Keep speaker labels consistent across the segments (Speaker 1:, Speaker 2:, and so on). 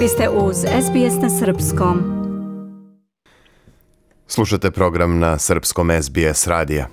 Speaker 1: Vi ste uz SBS na Srpskom.
Speaker 2: Slušate program na srpskom SBS radija.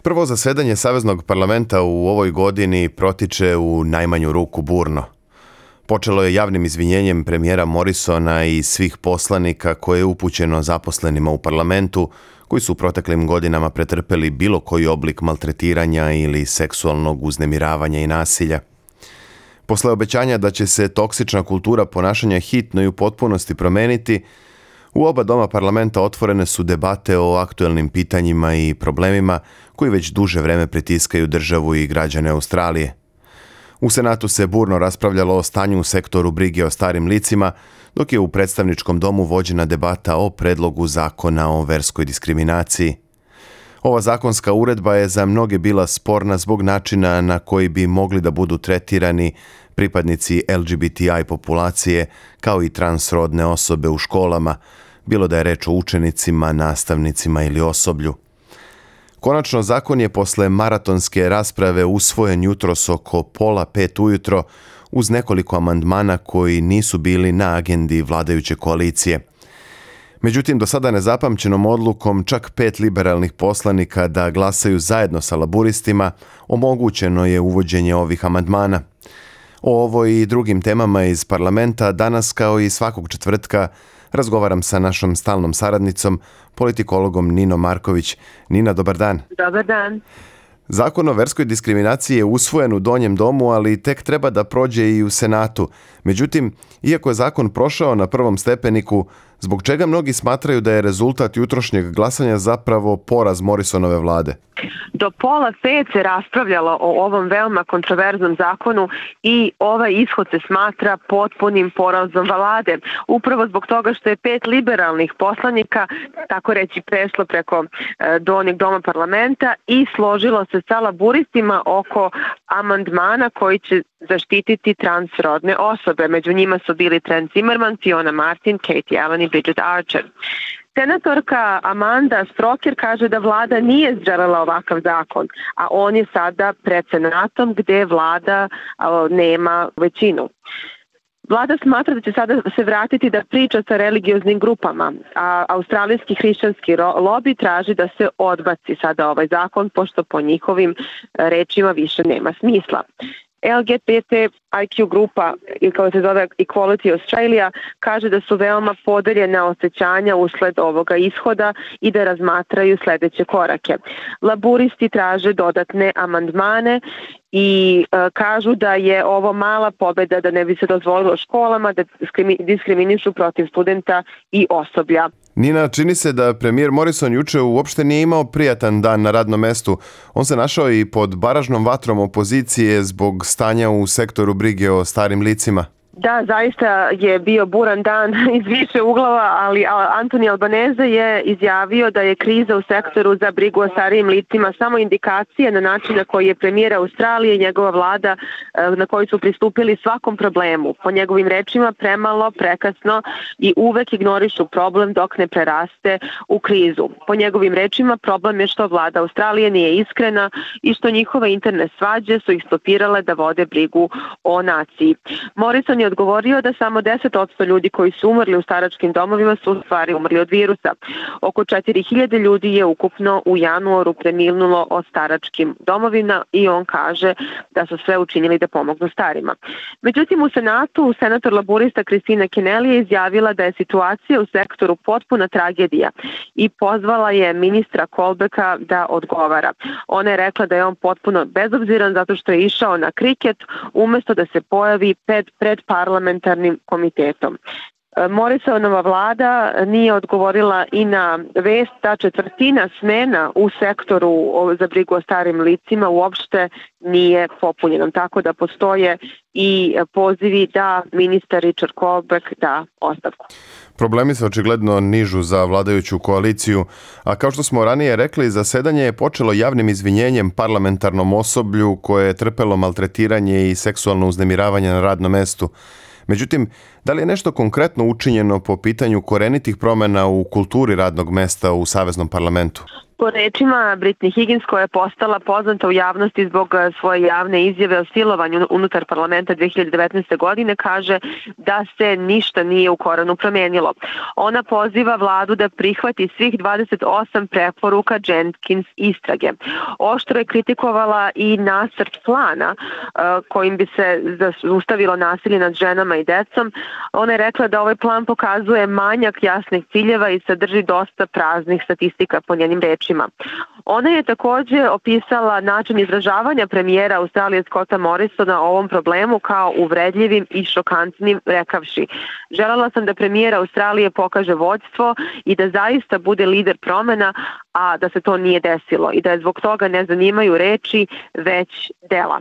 Speaker 2: Prvo zasedanje Saveznog parlamenta u ovoj godini protiče u najmanju ruku burno. Počelo je javnim izvinjenjem premijera Morrisona i svih poslanika koje je upućeno zaposlenima u parlamentu koji su u proteklim godinama pretrpeli bilo koji oblik maltretiranja ili seksualnog uznemiravanja i nasilja. Posle obećanja da će se toksična kultura ponašanja hitno i u potpunosti promeniti, u oba doma parlamenta otvorene su debate o aktuelnim pitanjima i problemima koji već duže vreme pritiskaju državu i građane Australije. U Senatu se burno raspravljalo o stanju u sektoru brige o starim licima, dok je u predstavničkom domu vođena debata o predlogu zakona o verskoj diskriminaciji. Ova zakonska uredba je za mnoge bila sporna zbog načina na koji bi mogli da budu tretirani pripadnici LGBTI populacije kao i transrodne osobe u školama, bilo da je reč o učenicima, nastavnicima ili osoblju. Konačno, zakon je posle maratonske rasprave usvojen jutros oko 4:30 ujutro uz nekoliko amandmana koji nisu bili na agendi vladajuće koalicije. Međutim, do sada nezapamćenom odlukom čak 5 liberalnih poslanika da glasaju zajedno sa laburistima omogućeno je uvođenje ovih amandmana. O ovoj i drugim temama iz parlamenta danas, kao i svakog četvrtka, razgovaram sa našom stalnom saradnicom, politikologom Ninom Marković. Nina, dobar dan.
Speaker 3: Dobar dan.
Speaker 2: Zakon o verskoj diskriminaciji je usvojen u Donjem domu, ali tek treba da prođe i u Senatu. Međutim, iako je zakon prošao na prvom stepeniku, zbog čega mnogi smatraju da je rezultat jutrošnjeg glasanja zapravo poraz Morrisonove vlade?
Speaker 3: Do 4:30 se raspravljalo o ovom veoma kontroverznom zakonu i ovaj ishod se smatra potpunim porazom vlade. Upravo zbog toga što je 5 liberalnih poslanika, tako reći, prešlo preko Donjeg doma parlamenta i složilo se sa laburistima oko amandmana koji će zaštititi transrodne osobe. Među njima su bili Trent Zimmerman, Fiona Martin, Katie Allen i Bridget Archer. Senatorka Amanda Stroker kaže da vlada nije želela ovakav zakon, a on je sada pred Senatom gde vlada nema većinu. Vlada smatra da će sada se vratiti da priča sa religioznim grupama, a australijski hrišćanski lobi traži da se odbaci sada ovaj zakon, pošto po njihovim rečima više nema smisla. LGBTIQ grupa, kao se zove Equality Australia, kaže da su veoma podeljena osjećanja usled ovoga ishoda i da razmatraju sledeće korake. Laburisti traže dodatne amandmane i kažu da je ovo mala pobeda, da ne bi se dozvolilo školama da diskriminišu protiv studenta i osoblja.
Speaker 2: Nina, čini se da premijer Morrison juče uopšte nije imao prijatan dan na radnom mestu. On se našao i pod baražnom vatrom opozicije zbog stanja u sektoru brige o starim licima.
Speaker 3: Da, zaista je bio buran dan iz više uglova, ali Anthony Albanese je izjavio da je kriza u sektoru za brigu o starijim licima samo indikacija na način na koji je premijer Australije i njegova vlada na koji su pristupili svakom problemu. Po njegovim rečima premalo, prekasno i uvek ignorišu problem dok ne preraste u krizu. Po njegovim rečima problem je što vlada Australije nije iskrena i što njihove interne svađe su ih stopirale da vode brigu o naciji. Morrison je odgovorio da samo 10% ljudi koji su umrli u staračkim domovima su u stvari umrli od virusa. Oko 4000 ljudi je ukupno u januaru preminulo od staračkim domovina i on kaže da su sve učinili da pomognu starima. Međutim, u Senatu senator laburista Kristina Kennelly je izjavila da je situacija u sektoru potpuna tragedija i pozvala je ministra Colbecka da odgovara. Ona je rekla da je on potpuno bezobziran zato što je išao na kriket umesto da se pojavi pred parlamentarnim komitetom. Morrisonova vlada nije odgovorila i na vest da 1/4 smena u sektoru za brigu o starim licima uopšte nije popunjena, tako da postoje i pozivi da ministar Richard Colbeck da ostavku.
Speaker 2: Problemi se očigledno nižu za vladajuću koaliciju, a kao što smo ranije rekli, zasedanje je počelo javnim izvinjenjem parlamentarnom osoblju koje je trpelo maltretiranje i seksualno uznemiravanje na radnom mestu. Međutim, da li je nešto konkretno učinjeno po pitanju korenitih promjena u kulturi radnog mesta u Saveznom parlamentu?
Speaker 3: Po rečima Britney Higgins, koja je postala poznata u javnosti zbog svoje javne izjave o silovanju unutar parlamenta 2019. godine, kaže da se ništa nije u korenu promenilo. Ona poziva vladu da prihvati svih 28 preporuka Jenkins istrage. Oštro je kritikovala i nacrt plana kojim bi se zaustavilo nasilje nad ženama i decom. Ona je rekla da ovaj plan pokazuje manjak jasnih ciljeva i sadrži dosta praznih statistika po njenim rečima. Ona je također opisala način izražavanja premijera Australije Scotta Morrisona o ovom problemu kao uvredljivim i šokantnim, rekavši: želela sam da premijer Australije pokaže vođstvo i da zaista bude lider promjena, a da se to nije desilo i da je zbog toga ne zanimaju reči, već dela.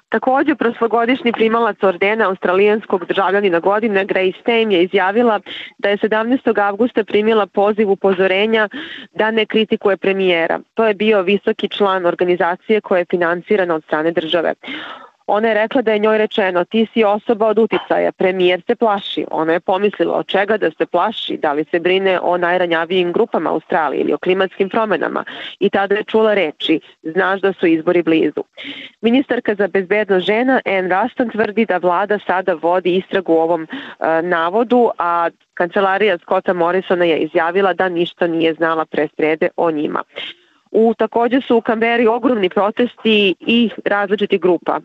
Speaker 3: Također, prošlogodišnji primalac ordena australijanskog državljanina godine Grace Tame je izjavila da je 17. avgusta primila poziv upozorenja da ne kritikuje premijera. To je bio visoki član organizacije koja je finansirana od strane države. Ona je rekla da je njoj rečeno: ti si osoba od uticaja, premijer se plaši. Ona je pomislila od čega da se plaši, da li se brine o najranjavijim grupama Australije ili o klimatskim promjenama. I tada je čula reči: znaš da su izbori blizu. Ministarka za bezbednost žena Anne Ruston tvrdi da vlada sada vodi istragu u ovom navodu, a kancelarija Scotta Morrisona je izjavila da ništa nije znala pre srede o njima. Također su u Kamberi ogromni protesti i različitih grupa.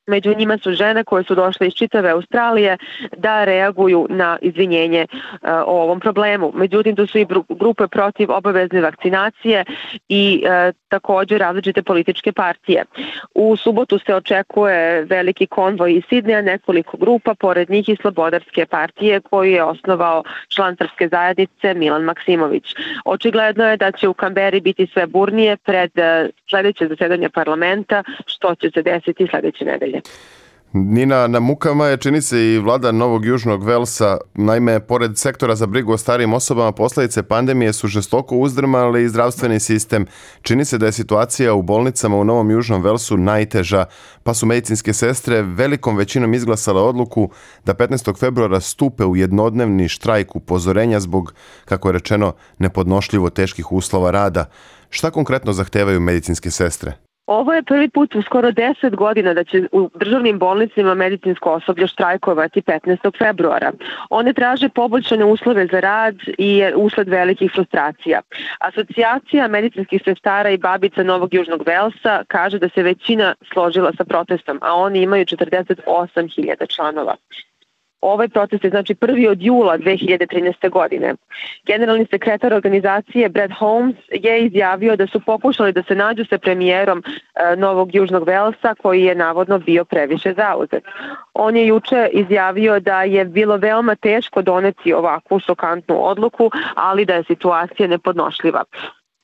Speaker 3: Među njima su žene koje su došle iz čitave Australije da reaguju na izvinjenje o ovom problemu. Međutim, tu su i grupe protiv obavezne vakcinacije i također različite političke partije. U subotu se očekuje veliki konvoj iz Sidneja, nekoliko grupa, pored njih i Slobodarske partije koju je osnovao član Srpske zajednice Milan Maksimović. Očigledno je da će u Kamberi biti sve burnije pred sljedeće zasedanje parlamenta, što će se desiti sljedeće nedelje.
Speaker 2: Nina, na mukama je, čini se, i vlada Novog Južnog Velsa. Naime, pored sektora za brigu o starijim osobama, posljedice pandemije su žestoko uzdrmali zdravstveni sistem. Čini se da je situacija u bolnicama u Novom Južnom Velsu najteža, pa su medicinske sestre velikom većinom izglasale odluku da 15. februara stupe u jednodnevni štrajk upozorenja zbog, kako je rečeno, nepodnošljivo teških uslova rada. Šta konkretno zahtevaju medicinske sestre?
Speaker 3: Ovo je prvi put u skoro 10 godina da će u državnim bolnicama medicinsko osoblje štrajkovati 15. februara. One traže poboljšane uslove za rad i usled velikih frustracija. Asocijacija medicinskih sestara i babica Novog Južnog Velsa kaže da se većina složila sa protestom, a oni imaju 48.000 članova. Ovaj protest je znači prvi od jula 2013. godine. Generalni sekretar organizacije Brad Holmes je izjavio da su pokušali da se nađu sa premijerom Novog Južnog Velsa, koji je navodno bio previše zauzet. On je juče izjavio da je bilo veoma teško doneti ovakvu šokantnu odluku, ali da je situacija nepodnošljiva.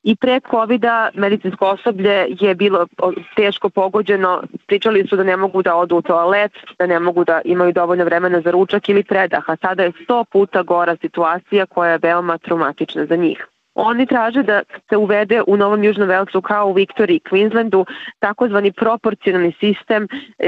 Speaker 3: I pre COVID-a medicinsko osoblje je bilo teško pogođeno, pričali su da ne mogu da odu u toalet, da ne mogu da imaju dovoljno vremena za ručak ili predah, a sada je 100 puta gora situacija koja je veoma traumatična za njih. Oni traže da se uvede u Novom Južnom Velsu kao u Viktoriji i Queenslandu takozvani proporcionalni sistem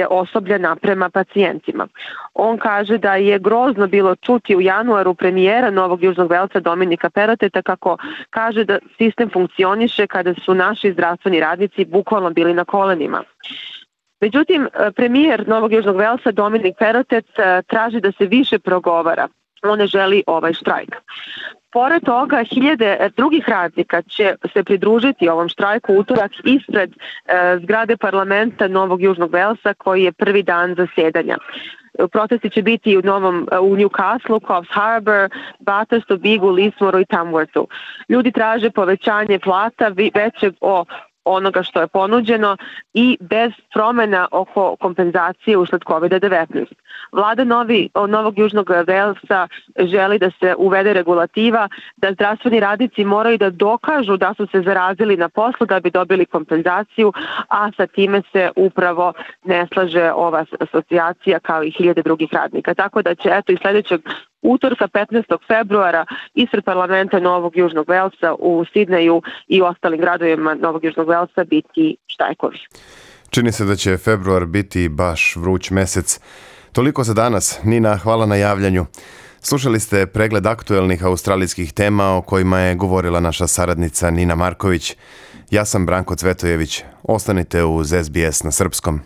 Speaker 3: osoblja naprema pacijentima. On kaže da je grozno bilo čuti u januaru premijera Novog Južnog Velsa Dominika Perroteta kako kaže da sistem funkcioniše kada su naši zdravstveni radnici bukvalno bili na kolenima. Međutim, premijer Novog Južnog Velsa Dominik Perrottet traži da se više progovara. On ne želi ovaj štrajk. Pored toga, hiljade drugih radnika će se pridružiti ovom štrajku utorak ispred zgrade parlamenta Novog Južnog Velsa, koji je prvi dan zasedanja. Protesti će biti u Newcastle, Coffs Harbour, Bathurstu, Bigu, Lismoru i Tamworthu. Ljudi traže povećanje plata većeg onoga što je ponuđeno i bez promjena oko kompenzacije usled COVID-19. Vlada Novog Južnog Velsa želi da se uvede regulativa da zdravstveni radnici moraju da dokažu da su se zarazili na poslu da bi dobili kompenzaciju, a sa time se upravo ne slaže ova asocijacija kao i hiljade drugih radnika. Tako da će i sljedećeg utorka 15. februara ispred parlamenta Novog Južnog Velsa u Sidneju i u ostalim gradovima Novog Južnog Velsa biti štrajkovi.
Speaker 2: Čini se da će februar biti baš vruć mesec. Toliko za danas. Nina, hvala na javljanju. Slušali ste pregled aktuelnih australijskih tema o kojima je govorila naša saradnica Nina Marković. Ja sam Branko Cvetojević. Ostanite uz SBS na srpskom.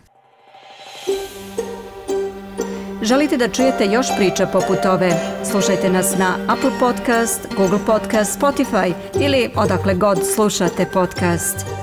Speaker 1: Želite da čujete još priča poput ove? Slušajte nas na Apple Podcast, Google Podcast, Spotify ili odakle god slušate podcast.